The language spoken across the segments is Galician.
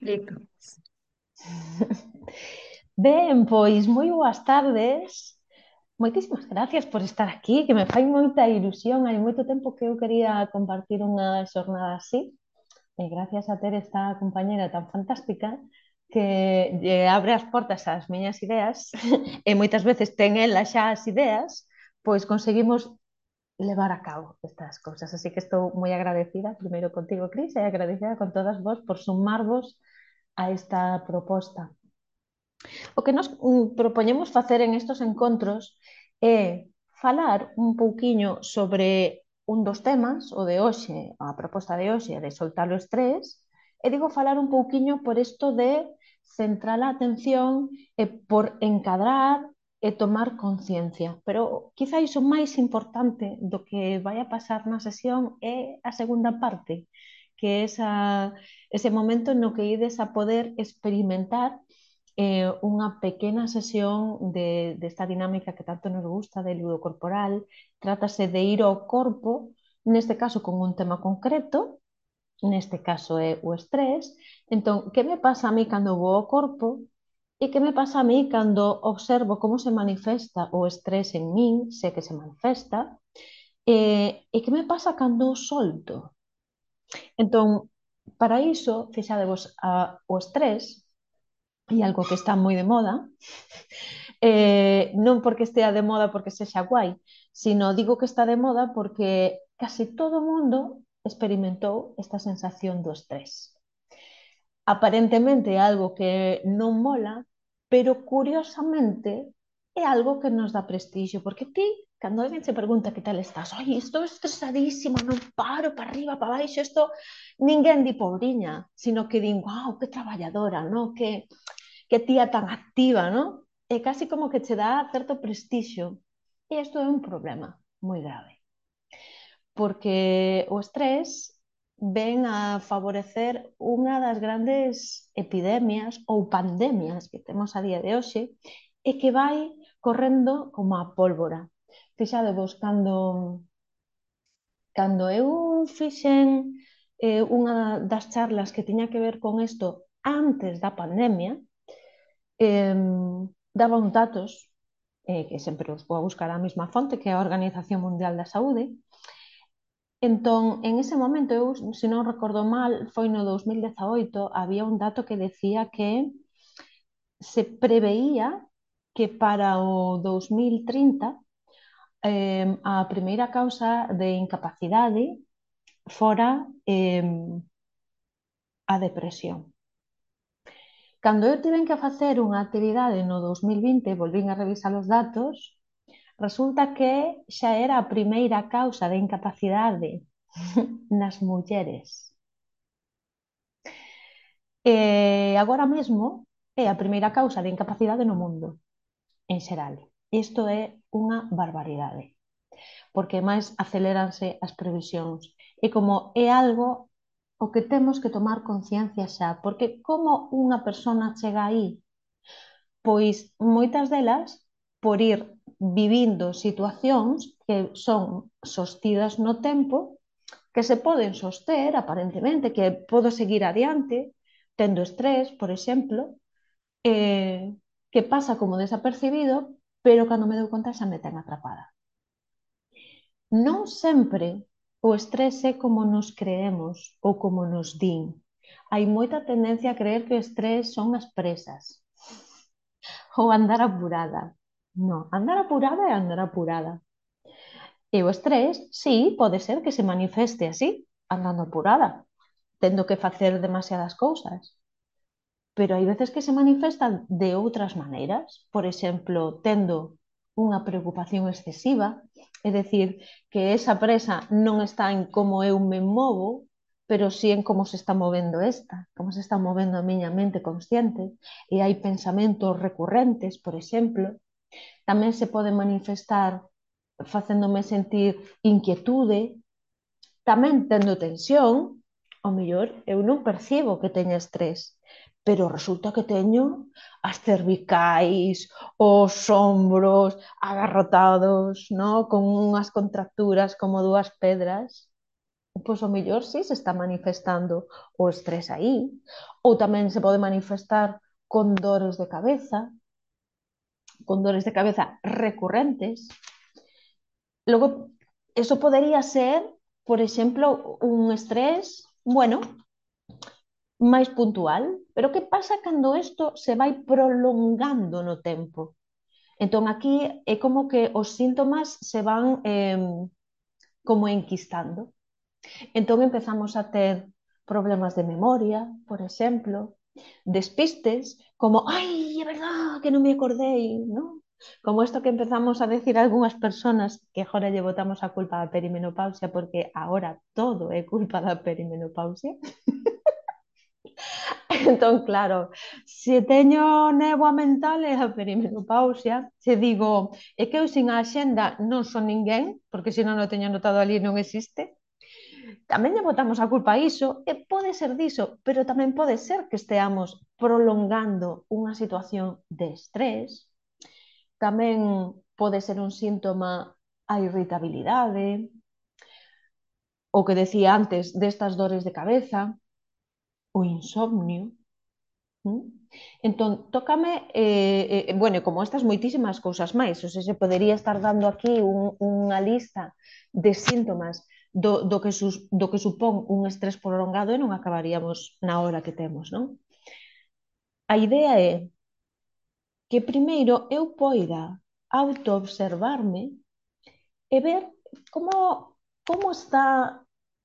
Listo. Ben, pois moi boas tardes. Moitísimas gracias por estar aquí, que me fai moita ilusión. Hai moito tempo que eu quería compartir unha xornada así. E gracias a ter esta compañera tan fantástica que lle abre as portas ás miñas ideas e moitas veces ten ela xa as ideas, pois conseguimos levar a cabo estas cousas. Así que estou moi agradecida, primeiro contigo, Cris, e agradecida con todas vos por sumarvos a esta proposta. O que nos propoñemos facer en estos encontros é falar un pouquiño sobre un dos temas, o de hoxe, a proposta de hoxe, de soltar o estrés, e digo falar un pouquiño por isto de centrar a atención e por encadrar e tomar conciencia. Pero quizáis o máis importante do que vai a pasar na sesión é a segunda parte, que é ese momento no que ides a poder experimentar unha pequena sesión desta dinámica que tanto nos gusta de ludo corporal. Trátase de ir ao corpo, neste caso con un tema concreto, neste caso é o estrés. Entón, que me pasa a mí cando vou ao corpo e que me pasa a mí cando observo como se manifesta o estrés en min, se que se manifesta, e que me pasa cando o solto. Entón, para iso, fixadevos, o estrés é algo que está moi de moda, non porque estea de moda porque sexa guai, sino digo que está de moda porque case todo o mundo experimentou esta sensación do estrés. Aparentemente é algo que non mola, pero curiosamente é algo que nos dá prestixio, porque ti, cando alguén se pregunta que tal estás, oi, estou estresadísima, non paro, para arriba, para baixo, isto ninguén di pobriña, sino que din, wow, que traballadora, no? Que tía tan activa, ¿no? É casi como que che dá certo prestixio. E isto é un problema moi grave, porque o estrés ven a favorecer unha das grandes epidemias ou pandemias que temos a día de hoxe e que vai correndo como a pólvora. Fixadevos, cando eu fixen unha das charlas que tiña que ver con isto antes da pandemia, eh, daba uns datos que sempre os vou a buscar a mesma fonte, que é a Organización Mundial da Saúde. Entón, en ese momento, eu, se non recordo mal, foi no 2018, había un dato que decía que se preveía que para o 2030 a primeira causa de incapacidade fora a depresión. Cando eu tiven que facer unha actividade no 2020, volvín a revisar os datos. Resulta que xa era a primeira causa de incapacidade nas mulleres. E agora mesmo é a primeira causa de incapacidade no mundo, en xeral. Isto é unha barbaridade, porque máis aceleranse as previsións. E como é algo o que temos que tomar conciencia xa, porque como unha persona chega aí? Pois moitas delas por ir vivindo situacións que son sostidas no tempo, que se poden soster aparentemente, que podo seguir adiante tendo estrés, por exemplo, que pasa como desapercibido, pero cando me dou conta xa me ten atrapada. Non sempre o estrés é como nos creemos ou como nos din. Hai moita tendencia a creer que o estrés son as presas ou andar apurada. Non, andar apurada é andar apurada. E o estrés, sí, pode ser que se manifeste así, andando apurada, tendo que facer demasiadas cousas. Pero hai veces que se manifestan de outras maneiras, por exemplo, tendo unha preocupación excesiva, é dicir, que esa presa non está en como eu me movo, pero sí en como se está movendo esta, como se está movendo a miña mente consciente, e hai pensamentos recurrentes, por exemplo. Tamén se pode manifestar facéndome sentir inquietude, tamén tendo tensión. Ao mellor eu non percibo que teña estrés, pero resulta que teño as cervicais, os ombros agarrotados, ¿no? Con unhas contracturas como dúas pedras. pois o mellor sí se está manifestando o estrés aí, ou tamén se pode manifestar con dores de cabeza recurrentes. Logo, eso podería ser, por exemplo, un estrés, bueno, máis puntual, pero que pasa cando isto se vai prolongando no tempo? Entón, aquí é como que os síntomas se van como enquistando. Entón, empezamos a ter problemas de memoria, por exemplo, despistes, como, ai, é verdad que non me acordei, non? Como isto que empezamos a decir a algunhas personas que agora lle botamos a culpa da perimenopausia porque agora todo é culpa da perimenopausia. Entón, claro, se teño néboa mental é a perimenopausia, se digo, é que eu sin a axenda non son ninguén, porque se non o teño anotado ali non existe, tamén lle botamos a culpa a iso, e pode ser diso, pero tamén pode ser que esteamos prolongando unha situación de estrés, tamén pode ser un síntoma a irritabilidade, o que decía antes destas dores de cabeza, o insomnio. Entón, tócame, bueno, como estas moitísimas cousas máis, ou se podería estar dando aquí unha lista de síntomas do que supón un estrés prolongado e non acabaríamos na hora que temos, non? A idea é que primeiro eu poida autoobservarme e ver como, como está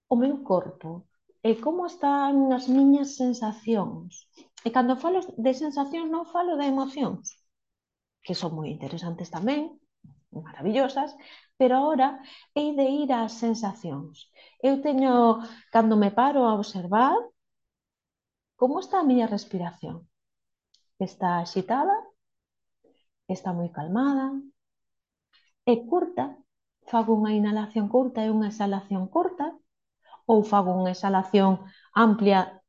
o meu corpo e como están as miñas sensacións. E cando falo de sensacións non falo de emocións, que son moi interesantes tamén, maravillosas, pero ahora hei de ir ás sensacións. Eu teño, cando me paro a observar, como está a miña respiración? Está axitada? Está moi calmada? É curta? Fago unha inhalación curta e unha exhalación curta? Ou fago unha exhalación amplia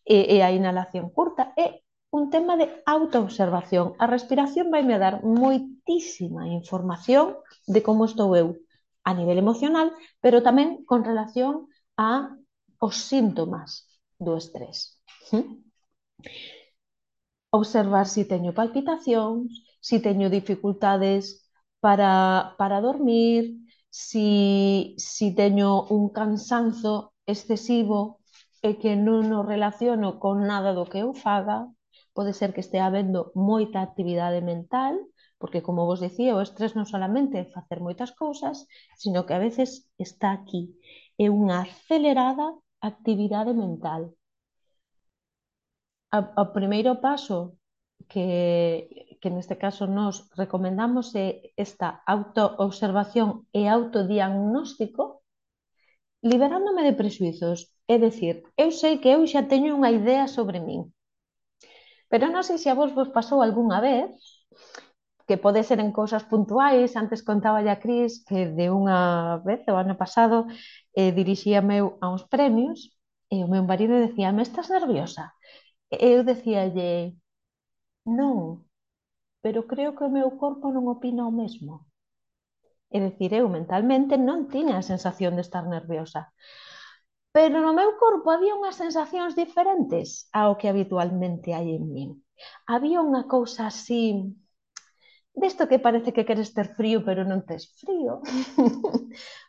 e a inhalación curta? É un tema de autoobservación. A respiración vai me dar moitísima información de como estou eu a nivel emocional, pero tamén con relación a os síntomas do estrés. Observar se teño palpitacións, se teño dificultades para dormir, se teño un cansanzo excesivo e que non o relaciono con nada do que eu faga, pode ser que estea habendo moita actividade mental, porque como vos dicía, o estrés non solamente é facer moitas cousas, sino que a veces está aquí, é unha acelerada actividade mental. O primeiro paso que neste caso nos recomendamos é esta autoobservación e autodiagnóstico, liberándome de prexuizos. É dicir, eu sei que eu xa teño unha idea sobre min, pero non sei se a vos pasou algunha vez, que pode ser en cousas puntuais. Antes contaba a Cris que de unha vez, o ano pasado, dirixíame a uns premios e o meu marido decía, me estás nerviosa? E eu decíalle, non, pero creo que o meu corpo non opina o mesmo. É dicir, eu mentalmente non tiña a sensación de estar nerviosa, pero no meu corpo había unhas sensacións diferentes ao que habitualmente hai en min. Había unha cousa así, desto que parece que queres ter frío, pero non tes frío.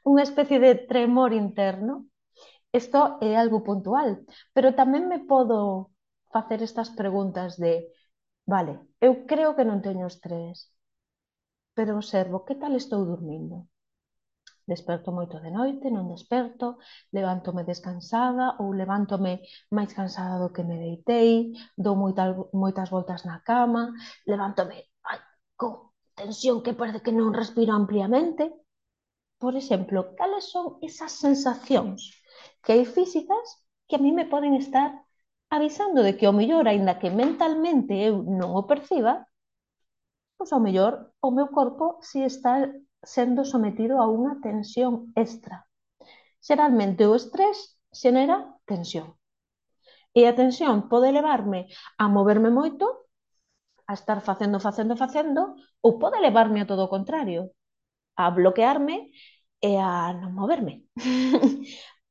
Unha especie de tremor interno. Isto é algo puntual, pero tamén me podo facer estas preguntas de, vale, eu creo que non teño estrés, pero observo que tal estou dormindo. Desperto moito de noite, non desperto, levántome descansada ou levántome máis cansada do que me deitei, dou moitas voltas na cama, levántome con tensión que parece que non respiro ampliamente. Por exemplo, cales son esas sensacións que hai físicas que a mí me poden estar avisando de que o mellor, aínda que mentalmente eu non o perciba, pois ao mellor o meu corpo si está sendo sometido a unha tensión extra. Xeralmente o estrés xenera tensión. E a tensión pode levarme a moverme moito, a estar facendo, ou pode levarme a todo o contrario, a bloquearme e a non moverme.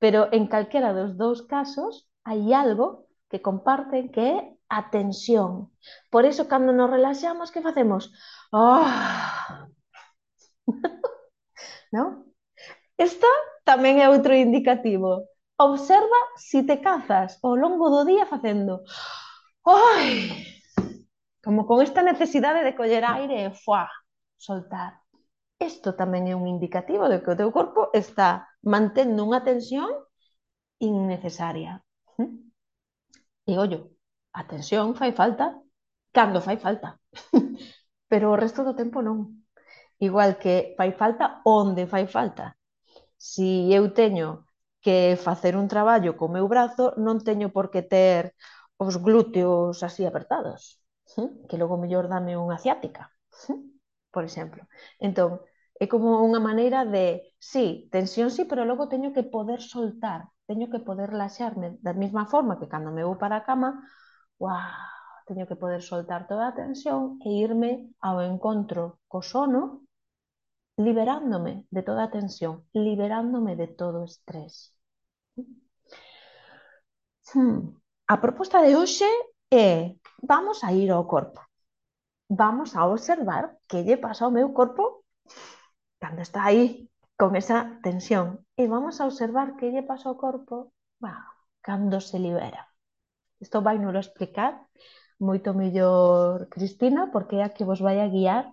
pero en calquera dos dous casos hai algo que comparten que é a tensión. Por iso, cando nos relaxamos, que facemos? Ah, non? Esta tamén é outro indicativo. Observa si te cazas ao longo do día facendo ai, como con esta necesidade de coller aire e fuá, soltar. Isto tamén é un indicativo de que o teu corpo está mantendo unha tensión innecesaria. E ollo, a tensión fai falta cando fai falta, pero o resto do tempo non. Igual que fai falta onde fai falta. Si eu teño que facer un traballo co meu brazo, non teño por que ter os glúteos así apertados, que logo mellor dame unha ciática, por exemplo. Entón, é como unha maneira de, sí, tensión sí, pero logo teño que poder soltar, teño que poder relaxarme da mesma forma que cando me vou para a cama, uau, teño que poder soltar toda a tensión e irme ao encontro co sono liberándome de toda a tensión, liberándome de todo o estrés. A proposta de hoxe é, vamos a ir ao corpo. Vamos a observar que lle pasa ao meu corpo cando está aí con esa tensión. E vamos a observar que lle pasa ao corpo cando se libera. Isto vai nos explicar moito mellor Cristina, porque é a que vos vai a guiar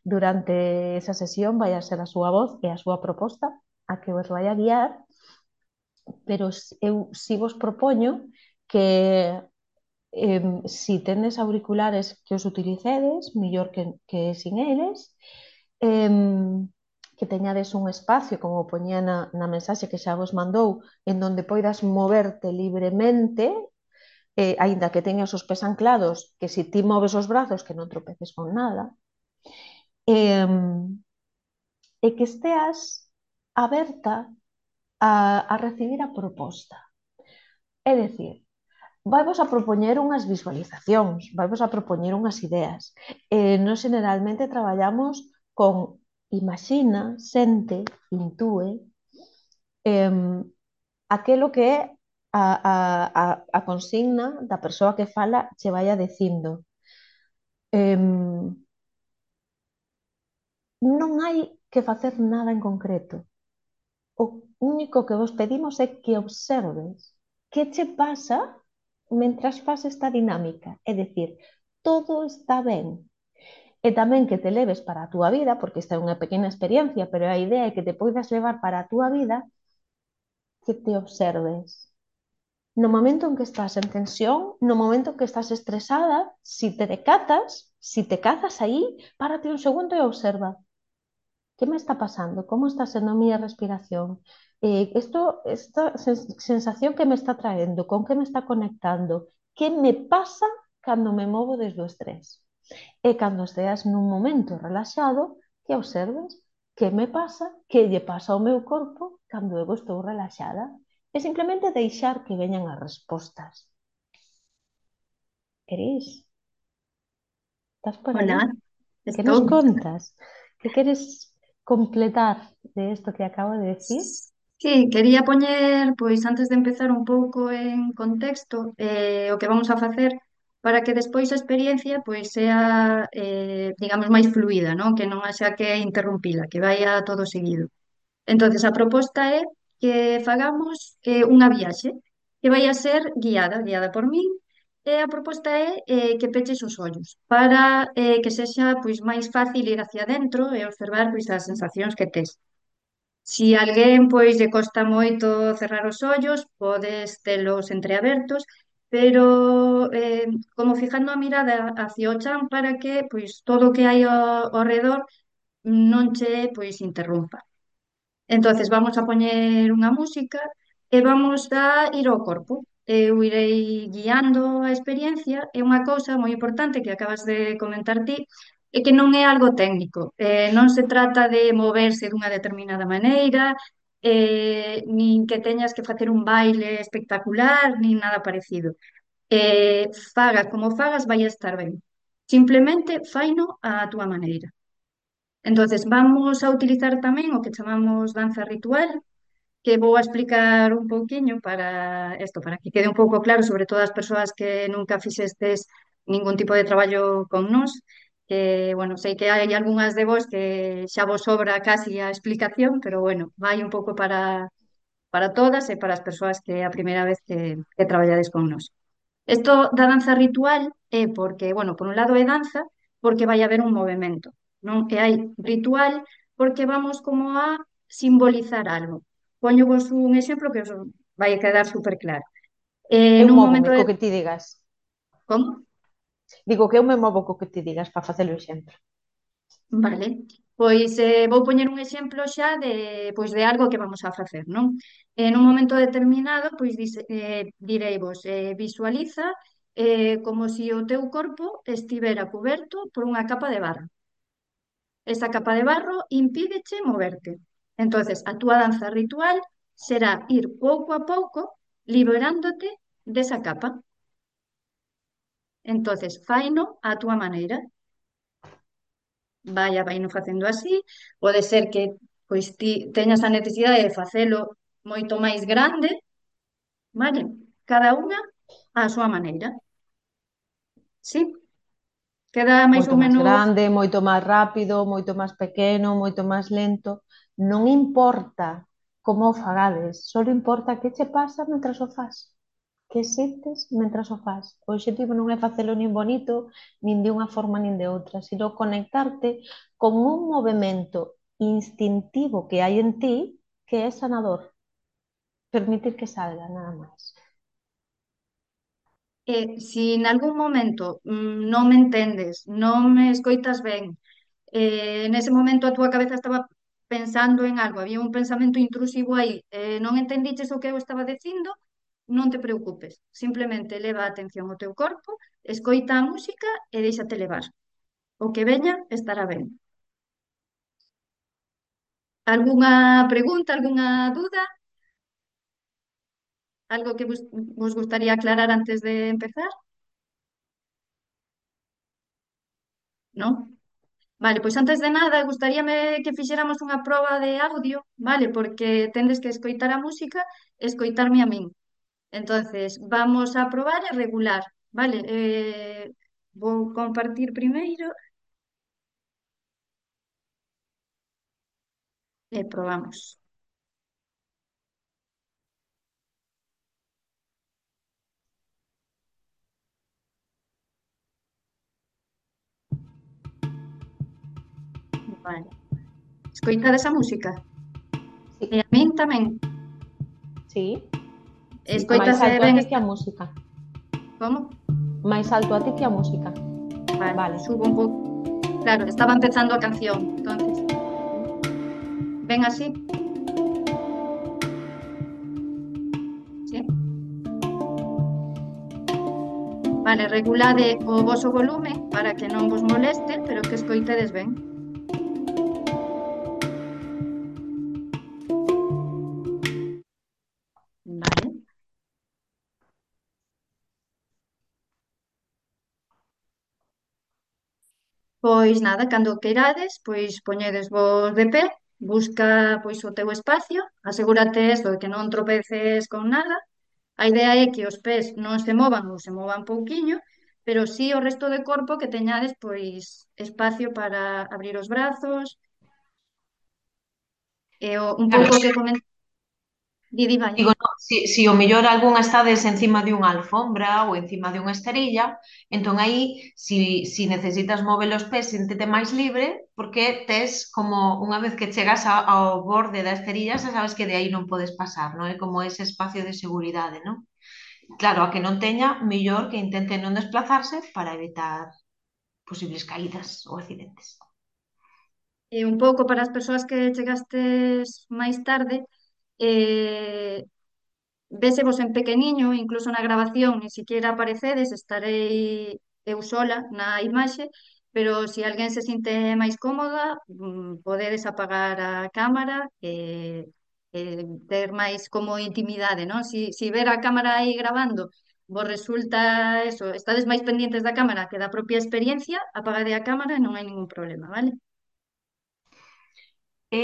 durante esa sesión, vai a ser a súa voz e a súa proposta a que vos vai a guiar, pero eu si vos propoño que si tendes auriculares que os utilicedes, mellor que sin eles, que teñades un espacio, como poñía na mensaxe que xa vos mandou, en donde poidas moverte libremente, aínda que teñas os pés anclados, que si ti moves os brazos que non tropeces con nada, e que esteas aberta a recibir a proposta. É dicir, vaivos a propoñer unhas visualizacións, vaivos a propoñer unhas ideas. Nós generalmente traballamos con imaxina, sente, intúe, aquelo que é a consigna da persoa que fala che vai a dicindo. Non hai que facer nada en concreto. O único que vos pedimos é que observes que che pasa mentras faz esta dinámica. É dicir, todo está ben. E tamén que te leves para a túa vida, porque esta é unha pequena experiencia, pero a idea é que te poidas levar para a túa vida, que te observes. No momento en que estás en tensión, no momento en que estás estresada, si te decatas, si te cazas aí, párate un segundo e observa. ¿Qué me está pasando? ¿Cómo está sendo a miña respiración? Esta sensación que me está traendo, con que me está conectando? Que me pasa cando me movo desde o estrés? E cando esteas nun momento relaxado, que observes que me pasa, que lle pasa ao meu corpo cando eu estou relaxada. E simplemente deixar que veñan as respostas. Cris, estás por aí? Hola, Que nos estou. contas? Que queres completar de isto que acabo de decir? Sí, quería poñer, pois antes de empezar un pouco en contexto o que vamos a facer para que despois a experiencia pois sea, digamos, máis fluida, non? Que non haxa que interrumpila, que vaya todo seguido. Entonces, a proposta é que fagamos unha viaxe que vai a ser guiada por min, e a proposta é que peches os ollos para que sexa pois máis fácil ir hacia adentro e observar pois as sensacións que tes. Si alguén pois lle costa moito cerrar os ollos, podes telos entreabertos, pero como fijando a mirada hacia o chan para que pois todo o que hai ao redor non che pois interrumpa. Entonces vamos a poñer unha música e vamos a ir ao corpo. Eu irei guiando a experiencia e unha cousa moi importante que acabas de comentar ti é que non é algo técnico. Non se trata de moverse dunha determinada maneira, nin que teñas que facer un baile espectacular, nin nada parecido. Fagas como fagas vai a estar ben. Simplemente faino á túa maneira. Entonces vamos a utilizar tamén o que chamamos danza ritual, que vou a explicar un pouquiño para isto, para que quede un pouco claro, sobre todo as persoas que nunca fixestes ningún tipo de traballo con nós, que, bueno, sei que hai algunhas de vos que xa vos sobra casi a explicación, pero bueno, vai un pouco para todas e para as persoas que é a primeira vez que traballades con nós. Isto da danza ritual é porque, bueno, por un lado é danza porque vai haber un movimento, non? E hai ritual porque vamos como a simbolizar algo. Poño vos un exemplo que os vai quedar super claro. Eu Nun momento móvome de... co que ti digas. Como? Digo que eu me movo co que ti digas para facer o exemplo. Vale. Pois vou poñer un exemplo xa de algo que vamos a facer, non? En un momento determinado, pois direivos, visualiza como se o teu corpo estivera cuberto por unha capa de barro. Esa capa de barro impídeche moverte. Entonces, a túa danza ritual será ir pouco a pouco liberándote desa capa. Entonces, faino á túa maneira. Vaino facendo así. Pode ser que pois ti teñas a necesidade de facelo moito máis grande, vale? Cada unha á súa maneira. Sí? Queda máis Moito ou máis menos... grande, moito máis rápido, moito máis pequeno, moito máis lento. Non importa como o fagades, só importa que che pasa mentras o fas. Que sentes mentras o fas. O obxectivo non é facelo nin bonito, nin de unha forma nin de outra, sino conectarte con un movimento instintivo que hai en ti que é sanador. Permitir que salga, nada máis. Si en algún momento non me entendes, non me escoitas ben, nese momento a túa cabeza estaba pensando en algo, había un pensamento intrusivo aí, non entendiches o que eu estaba dicindo, non te preocupes, simplemente leva a atención ao teu corpo, escoita a música e déixate levar. O que veña estará ben. Algunha pregunta, algunha duda? Algo que vos gustaría aclarar antes de empezar? Non? Vale, pois antes de nada, gustaríame que fixéramos unha proba de audio, vale? Porque tendes que escoitar a música e escoitarme a min. Entonces, vamos a probar e regular, vale? Vou compartir primeiro e probamos. Vale. Escoitades a música? E Sí, a min tamén. sí. Máis Escoítase alto a ben ti que esta... a música. Como? Máis alto a ti que a música. Vale, Vale. subo un pouco. Claro, estaba empezando a canción, entonces. Ven así, ¿sí? Vale, regulade o voso volume para que non vos moleste, pero que escoitedes ben. Vale. Pois nada, cando queirades, pois poñedes vos de pé, busca pois o teu espacio, asegúrate eso de que non tropeces con nada. A idea é que os pés non se movan ou se movan pouquiño, pero sí o resto de corpo que teñades pois espacio para abrir os brazos, e un Claro, pouco que comen... Didi, vai. digo, no, si o mellor algunha estades encima de unha alfombra ou encima de unha esterilla, entón aí, si necesitas mover os pés, síntete máis libre, porque tes como, unha vez que chegas ao borde da esterilla, xa sabes que de aí non podes pasar, non é como ese espacio de seguridade, non? Claro, a que non teña, mellor que intente non desplazarse para evitar posibles caídas ou accidentes. E un pouco para as persoas que chegastes máis tarde, eh, vésevos en pequeniño, incluso na grabación, ni siquiera aparecedes, estarei eu sola na imaxe, pero se alguén se sinte máis cómoda, podedes apagar a cámara e ter máis como intimidade, non? Si ver a cámara aí grabando vos resulta eso, estades máis pendientes da cámara que da propia experiencia, apagade a cámara e non hai ningún problema, vale? E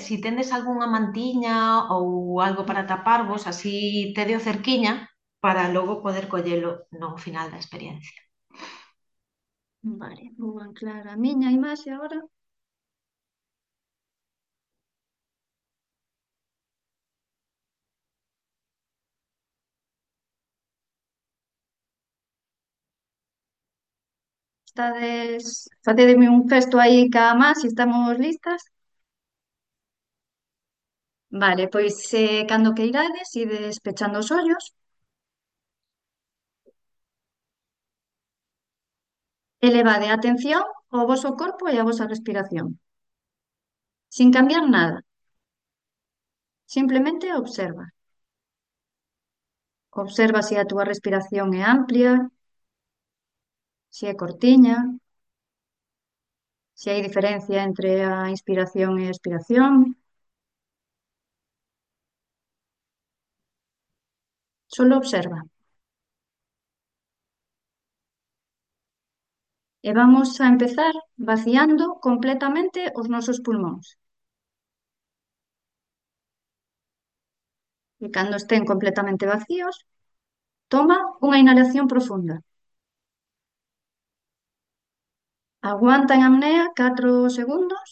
si tendes algunha mantiña ou algo para taparvos, así tedio cerquiña para logo poder collelo no final da experiencia. Vale, vou anclar a miña imaxe agora. Facedeme un gesto aí ca má, se estamos listas. Vale, pois cando queirades, ides pechando os ollos e levade a atención ao voso corpo e á vosa respiración, sin cambiar nada. Simplemente observa. Observa se a túa respiración é amplia, se é cortiña, se hai diferencia entre a inspiración e a expiración. Solo observa. E vamos a empezar vaciando completamente os nosos pulmóns. E cando estén completamente vacíos, toma unha inhalación profunda. Aguanta en apnea 4 segundos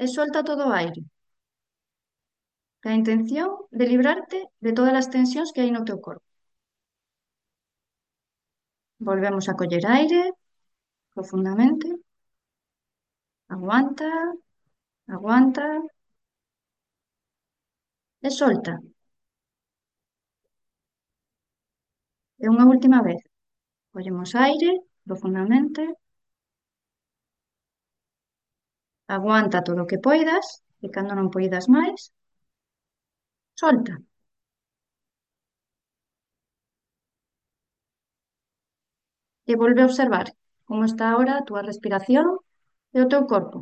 e solta todo o aire. A intención de librarte de todas as tensións que hai no teu corpo. Volvemos a coller aire profundamente. Aguanta, aguanta e solta. E unha última vez. Collemos aire profundamente. Aguanta todo o que poidas e cando non poidas máis, solta. E volve a observar como está ahora a túa respiración e o teu corpo.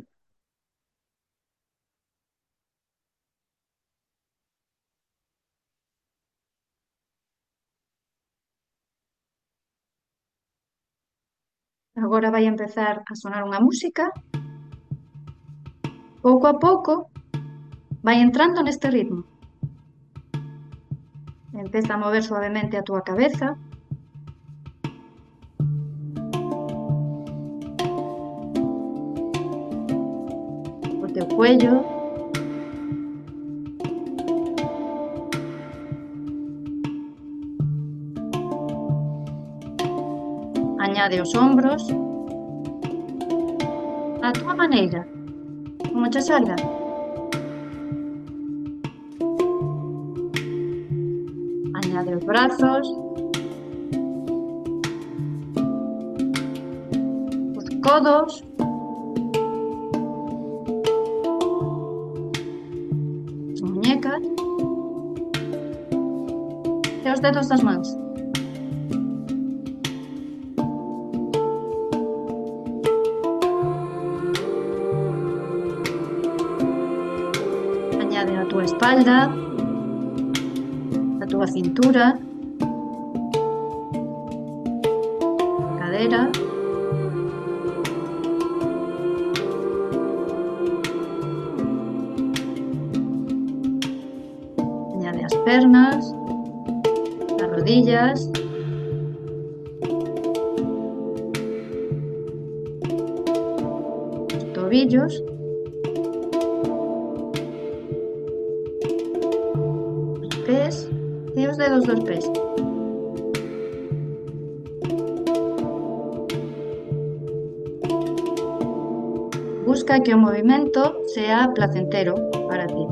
Agora vai empezar a sonar unha música. Pouco a pouco vai entrando neste ritmo. Empeza a mover suavemente a túa cabeza, o teu cuello, añade os ombros, a túa maneira, como che salga. Añade os brazos, os codos, as muñecas e os dedos das mans. Añade a túa espalda, a túa cintura, cadera, añade as pernas, as rodillas, os tobillos, os pés e os dedos dos pés. Busca que o movimento sea placentero para ti.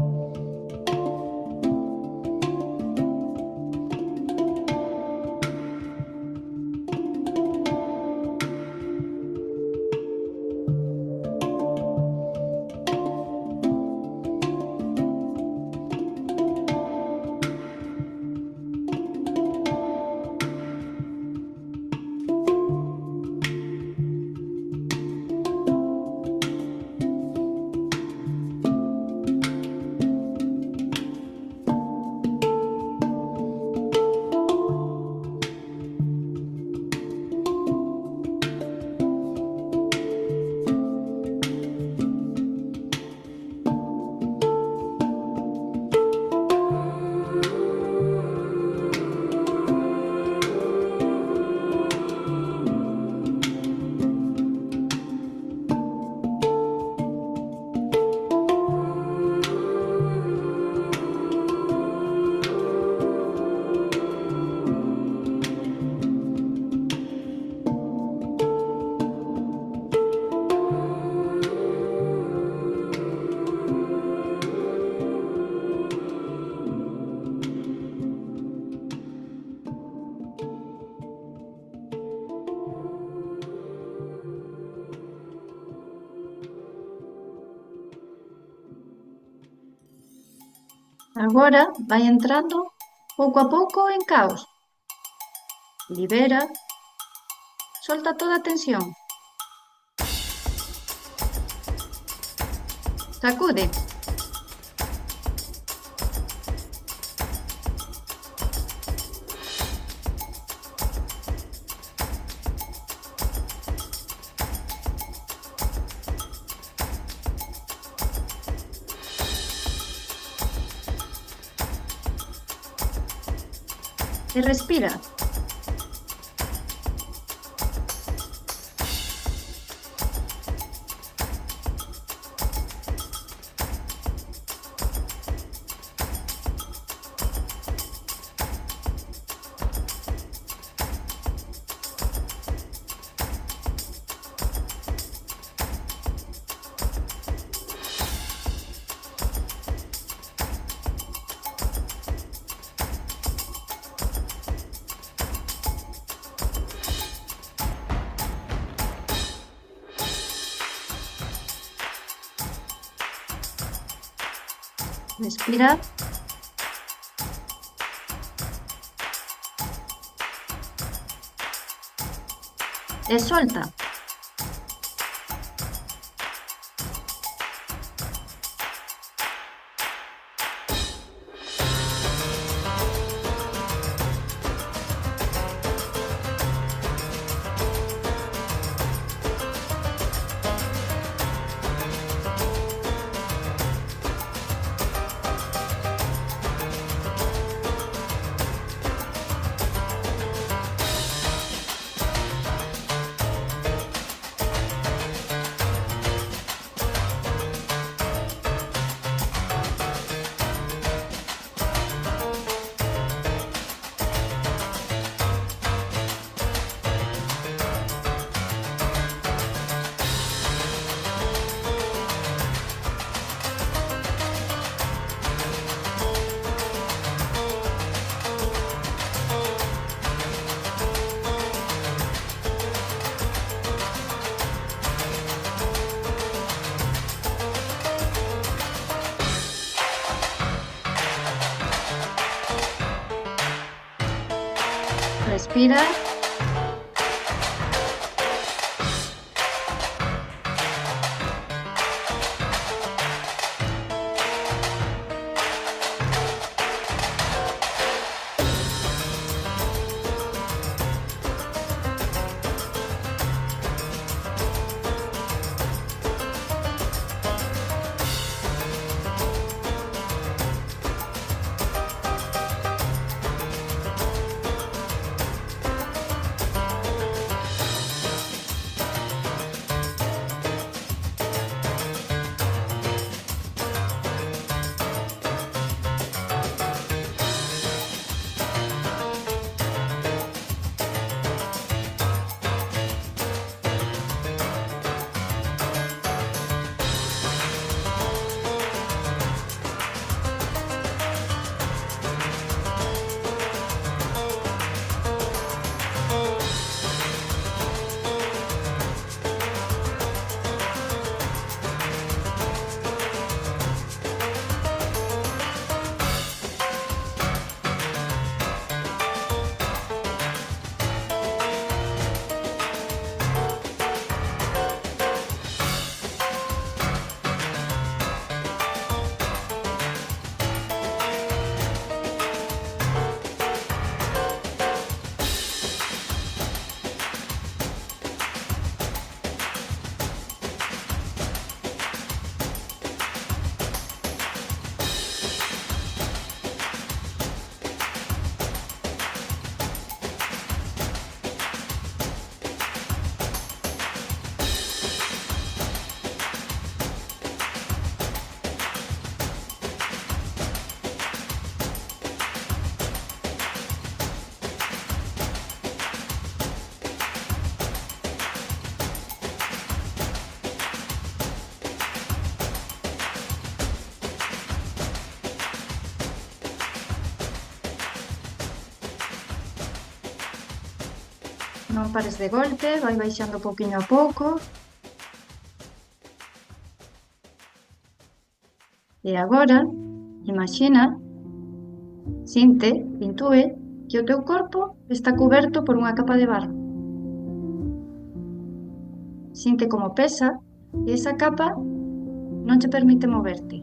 Agora vai entrando pouco a pouco en caos. Libera, solta toda a tensión. Sacude, e respira. Respira e solta. Respira Non pares de golpe, vai baixando pouquiño a pouco. E agora, imagina Sinte, intúe que o teu corpo está cuberto por unha capa de barro. Sinte como pesa e esa capa non che permite moverte.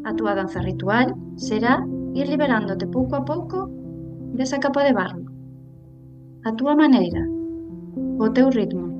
A túa danza ritual será ir liberándote pouco a pouco desa capa de barro, a túa maneira, o teu ritmo.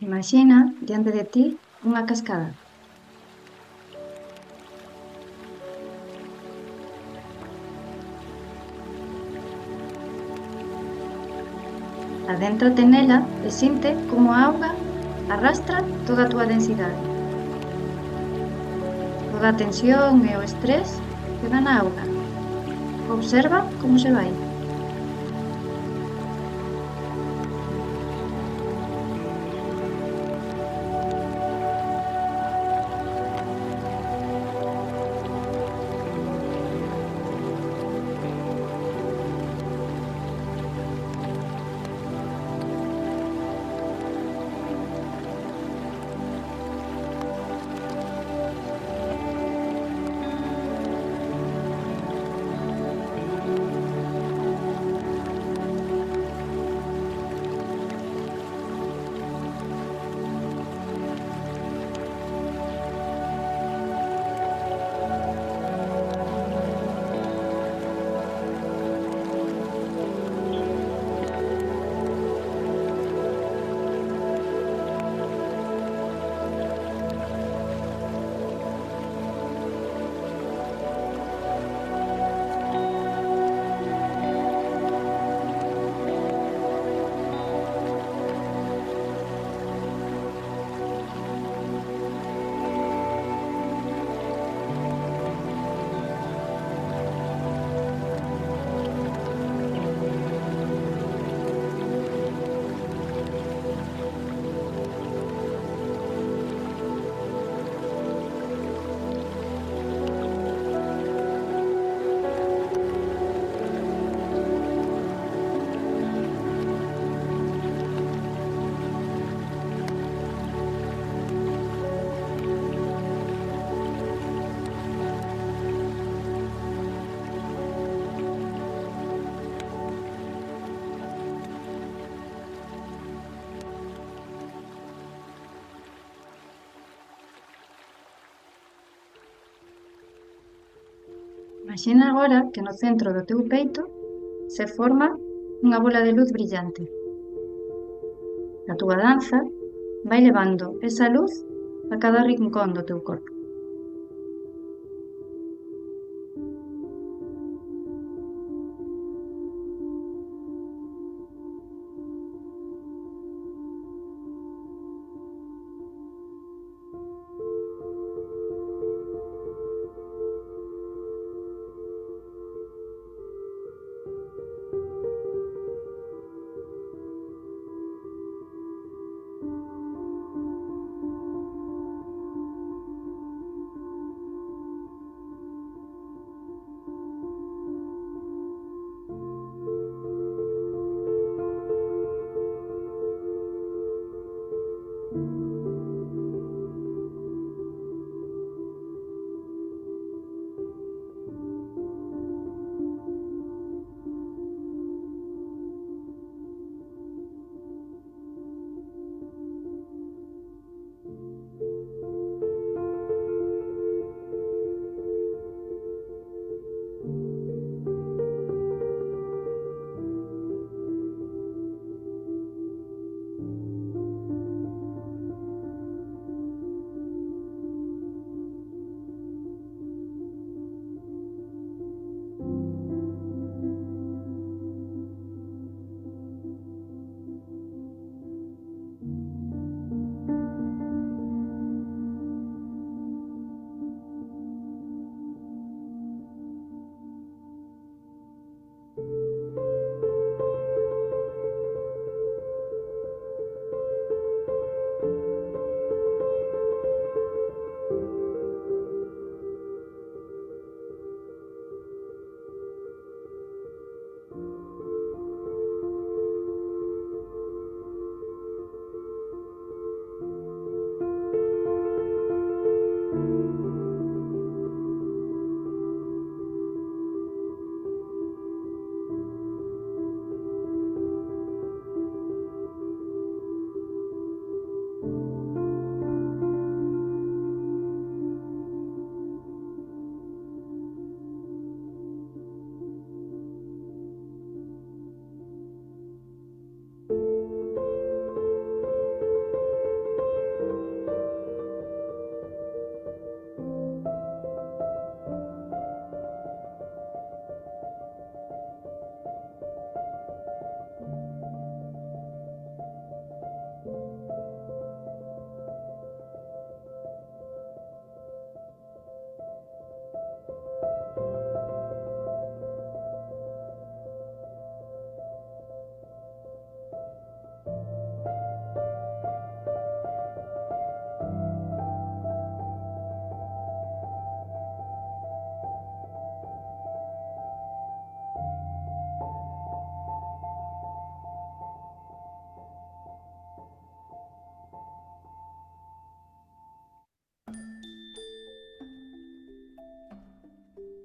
Imaxina diante de ti unha cascada. Adéntrate nela e sinte como a auga arrastra toda a túa densidade. Toda a tensión e o estrés queda na auga. Observa como se vai. Imagina agora que no centro do teu peito se forma unha bola de luz brillante. A túa danza vai levando esa luz a cada rincón do teu corpo.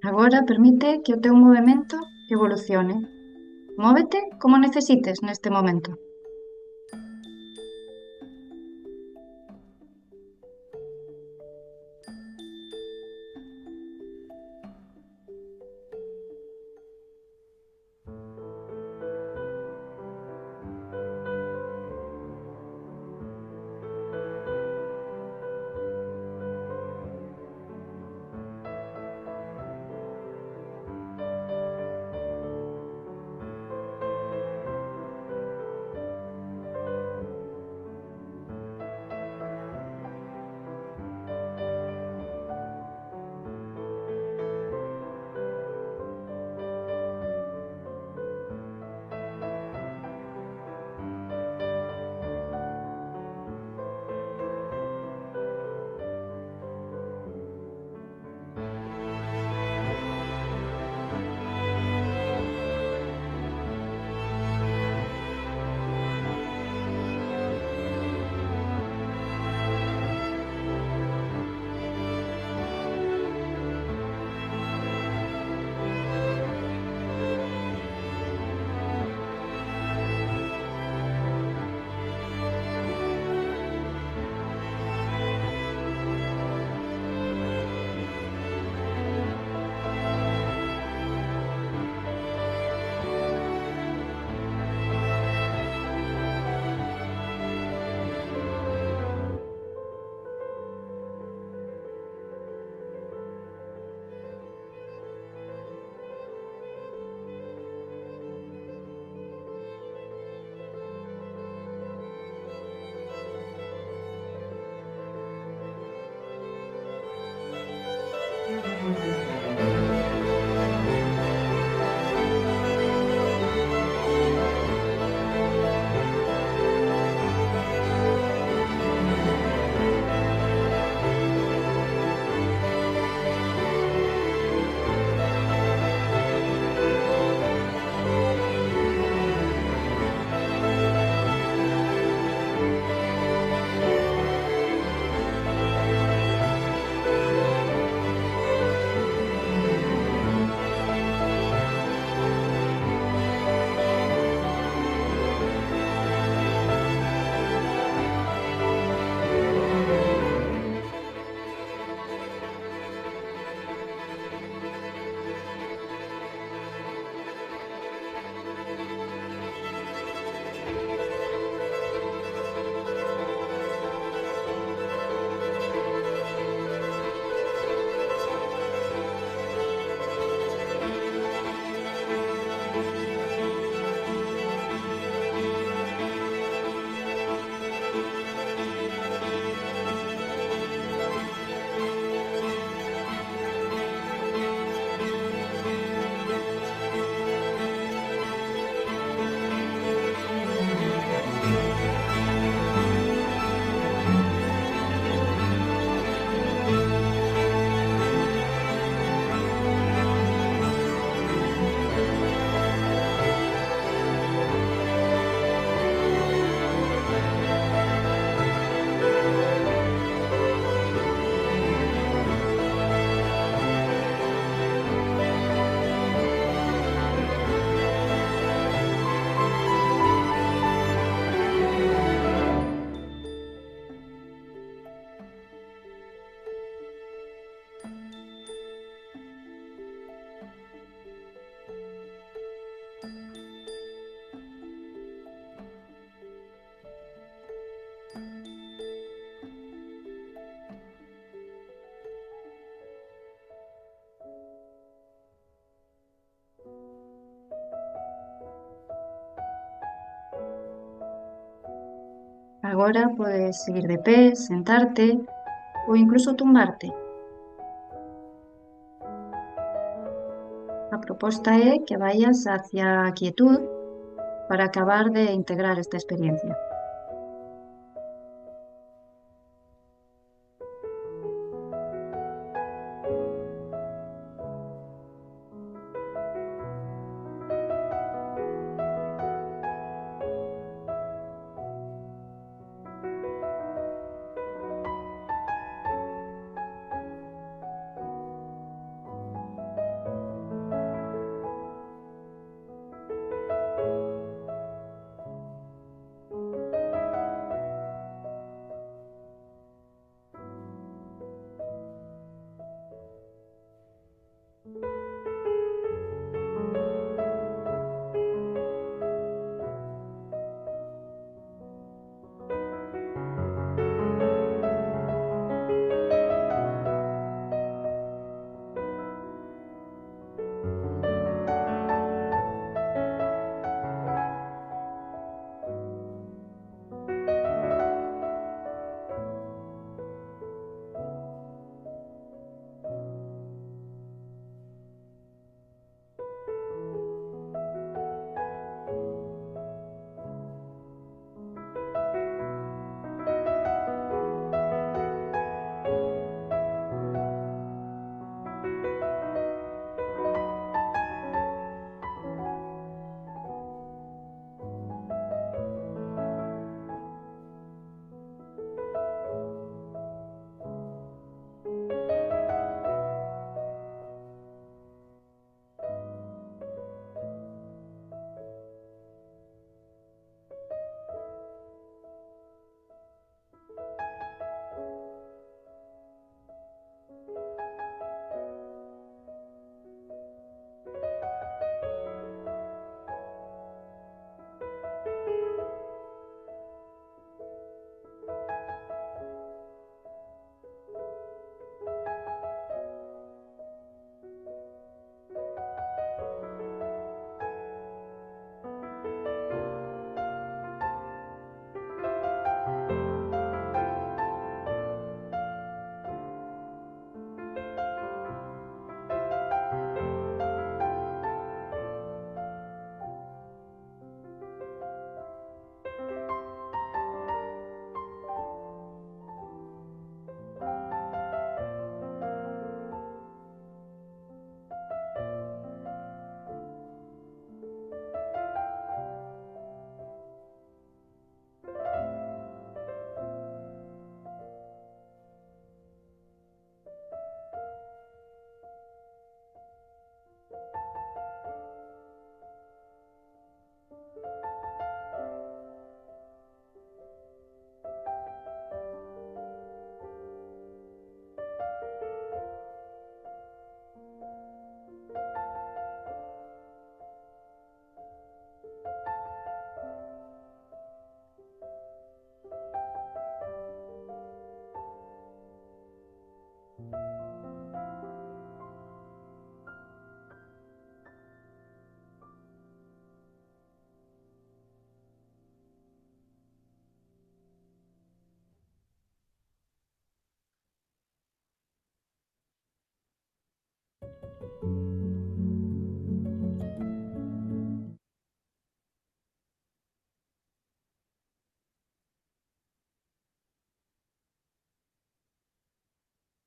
Agora permite que o teu movemento evolucione. Móvete como necesites neste momento. Agora podes seguir de pé, sentarte ou incluso tumbarte. A proposta é que vayas hacia a quietud para acabar de integrar esta experiencia.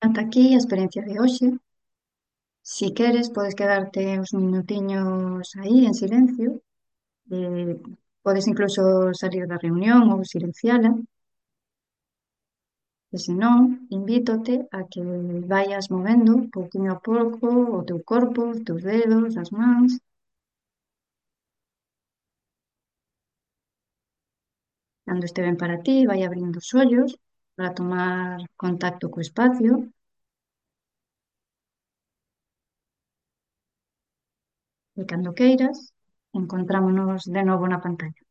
Ata aquí a experiencia de hoxe. Si queres, podes quedarte uns minutiños aí en silencio. Eh, Podes incluso salir da reunión ou silenciala. E se non, invítote a que vayas movendo pouquinho a pouco o teu corpo, os teus dedos, as mans. Cando este ben para ti, vai abrindo os ollos para tomar contacto co espacio e cando queiras, encontrámonos de novo na pantalla.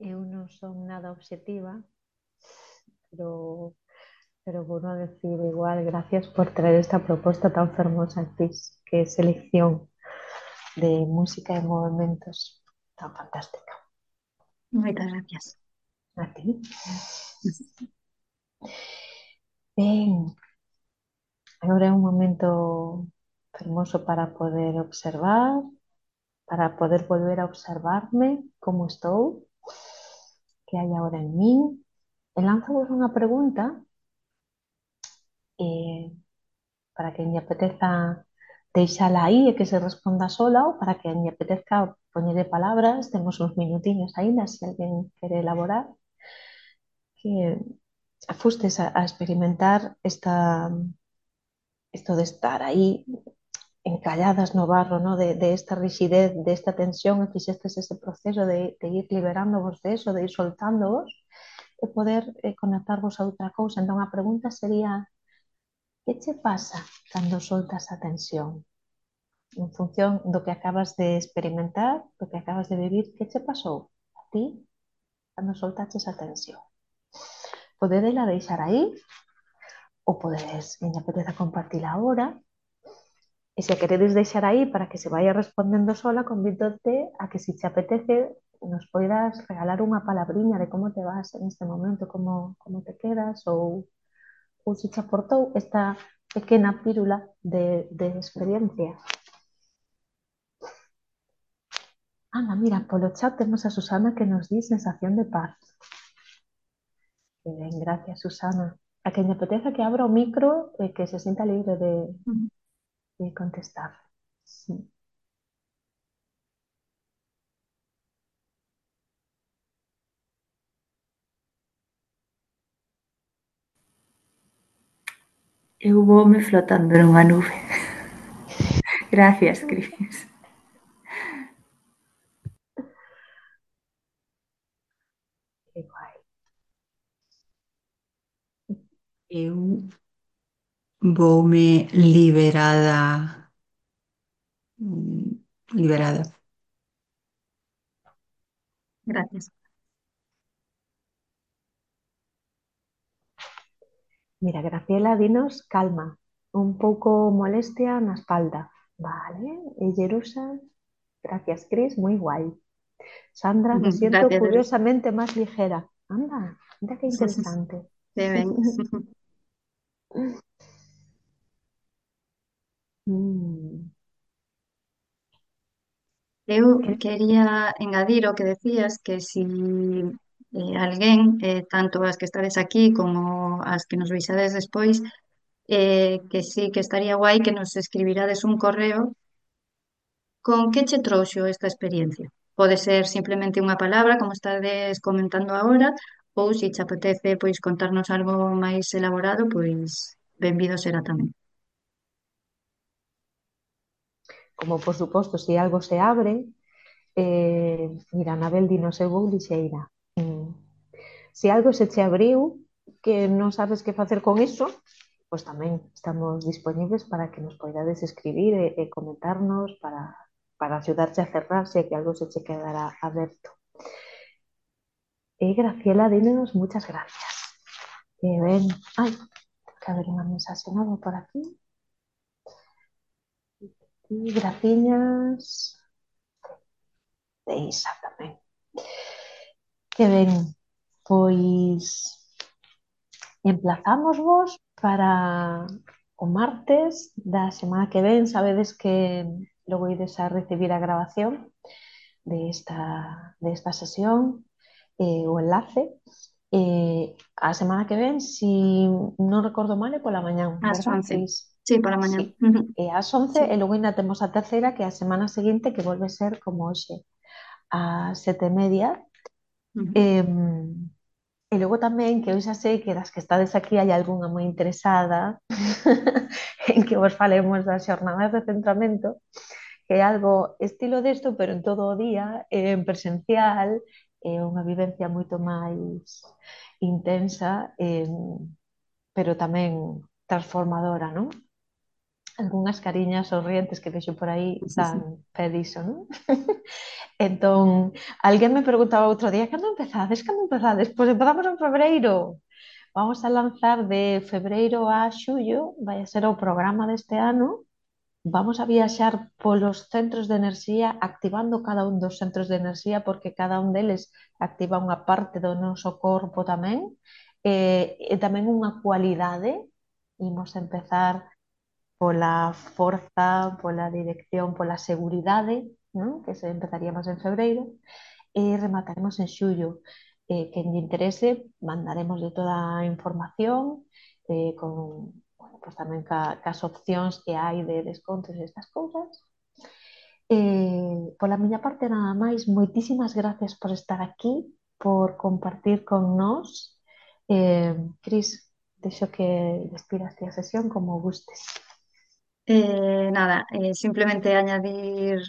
Eu non son nada obxectiva, pero, pero vou a decir igual, gracias por traer esta propuesta tan fermosa, Cris, que é selección de música e movimentos tan fantástica. Moitas gracias. A ti. Ben, agora é un momento fermoso para poder observar, para poder volver a observarme como estou, que hai agora en min. E lanzo-vos unha pregunta eh, para que me apeteza deixala aí e que se responda sola ou para que me apetezca poñerle palabras, temos uns minutiños aínda, se alguén quere elaborar, que fustes a experimentar esto de estar aí encalladas no barro, ¿no? De esta rigidez, de esta tensión, e fixestes ese proceso de ir liberándovos de eso, de ir soltándovos, e poder conectarvos a outra cousa. Entón a pregunta sería, que che pasa cando soltas a tensión? En función do que acabas de experimentar, do que acabas de vivir, que che pasou a ti cando soltaches a tensión? Podedela deixar aí, ou podedes, me apetece compartir agora, e se a queredes deixar aí para que se vaya respondendo sola, convídote a que se te apetece nos poidas regalar unha palabriña de como te vas en este momento, como te quedas, ou se te aportou esta pequena pírula de experiencia. Anda, mira, polo chat temos a Susana que nos di sensación de paz. Que ben, gracias, Susana. A quen lle apeteza que abra o micro e que se sinta libre de contestar. Sí. Eu voume flotando nunha nube. Gracias, Cris. Que guai. Eu voume liberada. Liberada. Gracias. Mira, Graciela, dinos calma, un pouco molestia na espalda. Vale, e Jerusa, gracias, Cris, moi guai. Sandra, me siento Gracias, Eres. curiosamente más ligera. Anda, mira que interesante. Qué ben. Mm, Eu que- quería engadir o que decías, que si alguén, tanto as que estades aquí como as que nos veixades despois, que sí que estaría guai que nos escribirades un correo con que che trouxo esta experiencia. Pode ser simplemente unha palabra, como estades comentando agora, ou se che apetece pois contarnos algo máis elaborado, pois benvido será tamén. Como por suposto, si algo se abre, mira, Anabel dinos eu vou lixeira. Se algo se che abriu que non sabes que facer con iso, pois tamén estamos disponibles para que nos poidades escribir e comentarnos para axudarte a cerrar se que algo se che quedará aberto. Graciela, dinos muchas gracias. Ben, ai, que haber unha mensaxe nova por aquí. E graciñas de Isa tamén. Que ben, pois emplazámosvos para o martes da semana que ven. Sabedes que logo ides a recibir a grabación de esta sesión, o enlace. A semana que ven, si non recordo mal, é pola mañán, Ás verdad, 11. Cris? Sí, para mañá. Sí. É ás 11 Sí. e logo ainda temos a terceira, que é a semana seguinte, que volve ser como hoxe, ás 7:30. Ujú. E logo tamén, que eu xa sei que das que estades aquí hai algunha moi interesada en que vos falemos das xornadas de centramento, que é algo estilo desto, pero en todo o día, en presencial, é unha vivencia moito máis intensa, pero tamén transformadora, non? algunhas cariñas sorrientes que vexo por aí Sí, dan sí. pé diso, non? Entón, alguén me preguntaba outro día, cando empezades? Cando empezades? Pois empezamos en febreiro. Vamos a lanzar de febreiro a xullo, vai a ser o programa deste ano. Vamos a viaxar polos centros de enerxía, activando cada un dos centros de enerxía, porque cada un deles activa unha parte do noso corpo tamén, e tamén unha cualidade. Imos empezar pola forza, pola dirección, pola seguridade, non? Que se empezaríamos en febreiro, e remataremos en xullo. Quen lle interese, mandaremos de toda a información, con, bueno, pues tamén cas opcións que hai de descontos e estas cousas. Pola miña parte nada máis, moitísimas gracias por estar aquí, por compartir con nós. Cris, deixo que despidas ti a sesión como gustes. Nada, simplemente añadir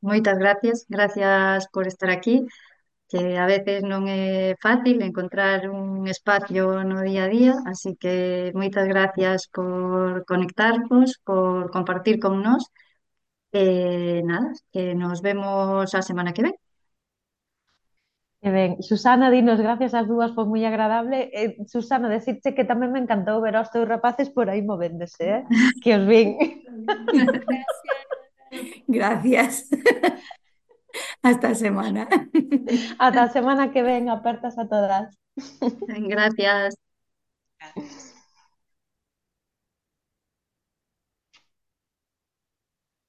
moitas gracias, gracias por estar aquí, que a veces non é fácil encontrar un espacio no día a día, así que moitas gracias por conectarnos, por compartir con nós. Nada, que nos vemos a semana que ven. E ben, Susana, dinos gracias ás dúas, foi moi agradable. Susana, decirte que tamén me encantou ver aos teus rapaces por aí movéndose, que os vin. Gracias. Hasta semana. Ata a semana que ven, apertas a todas. Gracias.